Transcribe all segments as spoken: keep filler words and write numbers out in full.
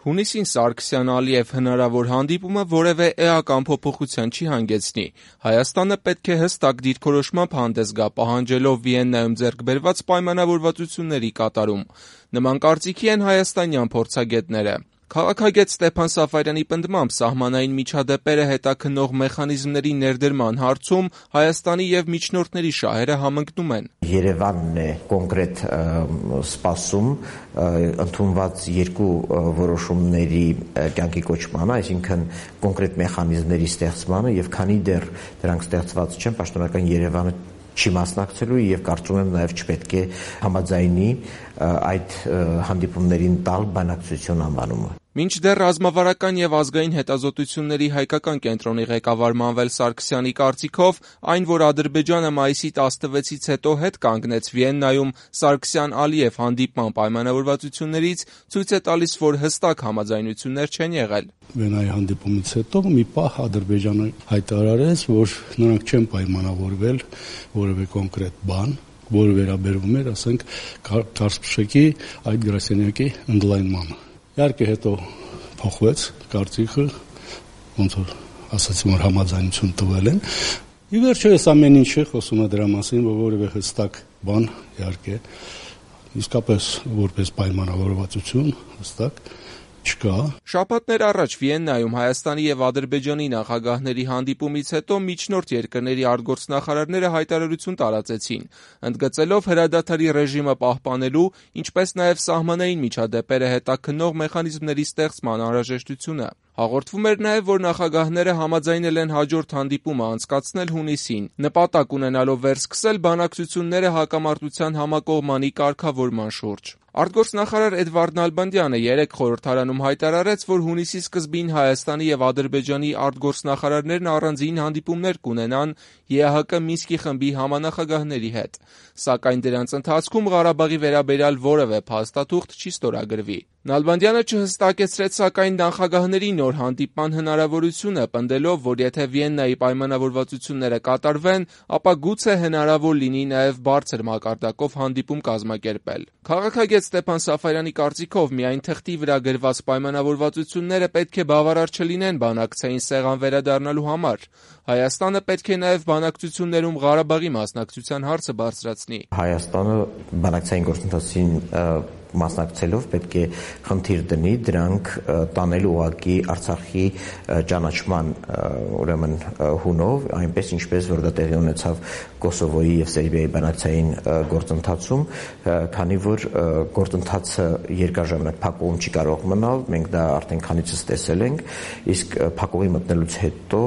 Հունիսին Սարգսյան-Ալիև հնարավոր հանդիպումը որևէ էական փոփոխության չի հանգեցնի։ Հայաստանը պետք է հստակ դիրքորոշմամբ հանդես գա, պահանջելով Վիեննայում ձեռք բերված պայմանավորվածությունների կատարում։ Նման կարծիքի են հայաստանյան փորձագետները։ Քաղաքագետ Ստեփան Սաֆարյանի պնդմամբ սահմանային միջադեպերը հետաքննող մեխանիզմների ներդրման հարցում Հայաստանի և միջնորդների շահերը համընկնում են։ Երևանն է կոնկրետ սպասում ընդունված երկու որոշումների կյանքի կոչմանը, այսինքն կոնկրետ մեխանիզմների ստեղծմանը, եւ քանի դեռ դրանք ստեղծված չեն, պաշտոնական Երևանը չի մասնակցելու եւ կարծում եմ նաեւ չպետք է համաձայնի այդ հանդիպումներին տալ բանակցություն անվանումը։ Մինչդեռ ռազմավարական եւ ազգային հետազոտությունների հայկական կենտրոնի ղեկավար Մանվել Սարգսյանի կարծիքով, այն, որ Ադրբեջանը մայիսի տասնվեցից հետո հետ կանգնեց Վիեննայում Սարգսյան-Ալիև հանդիպման պայմանավորվածություններից, ցույց է տալիս, որ հստակ համաձայնություններ չեն եղել։ Վիեննայի հանդիպումից հետո մի պահ Ադրբեջանը հայտարարեց, որ նրանք չեն պայմանավորվել որևէ կոնկրետ բան, որը վերաբերվում էր, ասենք, Կարսպշեկի այդ գրասենյակի ընդլայնմանը։ Իհարկե հետո փոխվեց կարծիքը, ոնց որ ասացին, որ համաձայնություն տվել են։ Ի վերջո այս ամեն ինչը խոսում է դրա մասին, որ որևէ հստակ բան, իհարկե, իսկապես որպես պայմանավորվածություն հստակ չկա։ Շաբաթներ առաջ Վիեննայում Հայաստանի եւ Ադրբեջանի նախագահների հանդիպումից հետո միջնորդ երկրների արտգործնախարարները հայտարարություն տարածեցին, ընդգծելով հրադադարի ռեժիմը պահպանելու, ինչպես նաեւ սահմանային միջադեպերը հետաքննող մեխանիզմների ստեղծման անհրաժեշտությունը։ Հաղորդվում էր նաեւ, որ նախագահները համաձայնել են հաջորդ հանդիպումը անցկացնել հունիսին, նպատակ ունենալով վերսկսել բանակցությունները հակամարտության համակողմանի կարգավորման շուրջ։ Արտգործնախարար Էդվարդ Նալբանդյանը երեկ խորհրդարանում հայտարարեց, որ հունիսի սկզբին Հայաստանի եւ Ադրբեջանի արտգործնախարարներն առանձին հանդիպումներ կունենան Է Ահ Կը Մինսկի խմբի համանախագահների հետ, սակայն դրանց ընթացքում Ղարաբաղի վերաբերյալ որևէ փաստաթուղթ չի ստորագրվի։ Նալբանդյանը չհստակեցրեց, սակայն նախագահների նոր հանդիպման հնարավորությունը, պնդելով, որ եթե Վիեննայի պայմանավորվածությունները կատարվեն, ապա գուցե հնարավոր լինի նաև բարձր մակարդակով հանդիպում կազմակերպել։ Քաղաքագետ Ստեփան Սաֆարյանի կարծիքով միայն թղթի վրա գրված պայմանավորվածությունները պետք է բավարար չլինեն բանակցային սեղան վերադառնալու համար։ Հայաստանը պետք է նաև բանակցություններում Ղարաբաղի մասնակցության հարցը բարձրացնի։ Հայաստանը բանակցային գործընթացին մասնակցելով պետք է խնդիր դնի դրանք տանել ուղղակի Արցախի ճանաչման ուրեմն հունով, այնպես ինչպես որ դա տեղի ունեցավ Կոսովոյի եւ Սերբիայի բանակցային գործընթացում, քանի որ գործընթացը երկար ժամանակ փակուղում չի կարող մնալ, մենք դա արդեն քանիցս տեսել ենք, իսկ փակուղի մտնելուց հետո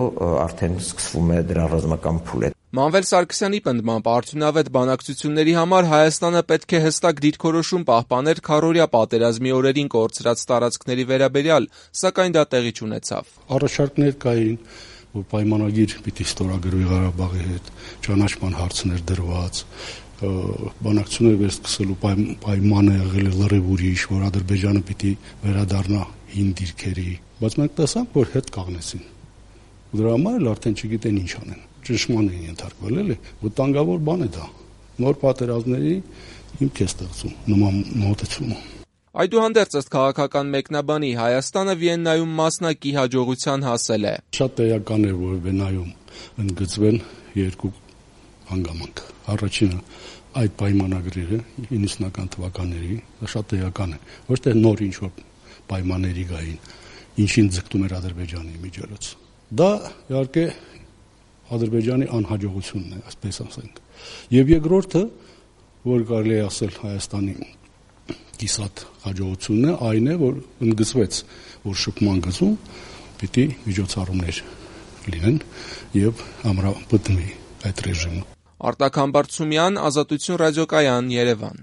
արդեն սկսվում է դրա ռազմական փուլը։ Մանվել Սարգսյանի պնդմամբ արդյունավետ բանակցությունների համար Հայաստանը պետք է հստակ դիրքորոշում պահպաներ քառօրյա պատերազմի օրերին կորցրած տարածքների վերաբերյալ, սակայն դա տեղի չունեցավ։ Առաջարկներ կային, որ պայմանագիր պիտի ստորագրվի Ղարաբաղի հետ, ճանաչման հարցներ դրված, բանակցություններ վերսկսելու պայմանը եղել է լրիվ ուրիշ, որ Ադրբեջանը պիտի վերադառնա հին դիրքերի, բայց մենք տեսանք, որ հետ կաղնեցին։ Դրա համար էլ արդեն չգիտեն ինչ անեն։ Ճնշման են ենթարկվել, էլի, վտանգավոր բան է դա։ Նոր պատերազմների հիմք է ստեղծում նման մոտեցումը։ Այդուհանդերձ ըստ քաղաքական մեկնաբանի Հայաստանը Վիեննայում մասնակի հաջողության հասել է։ Շատ էական է, որ Վիեննայում ընդգծվեն երկու հանգամանք։ Առաջինը այդ պայմանագրերը իննսունական թվականների, դա շատ էական է։ Ոչ թե նոր ինչ-որ պայմանների գային, ինչին ձգտում էր Ադրբեջանի միջոցով։ Դա իհարկե Ադրբեջանի անհաջողությունն է, այսպես ասենք։ Եվ երկրորդը, որ կարելի է ասել Հայաստանի կիսատ հաջողությունն է, այն է, որ ընդգծվեց, որ շփման գծում պիտի միջոցառումներ լինեն եւ ամրապնդվի այդ ռեժիմը։ Արտակ Համբարձումյան, Ազատություն ռադիոկայան, Երևան։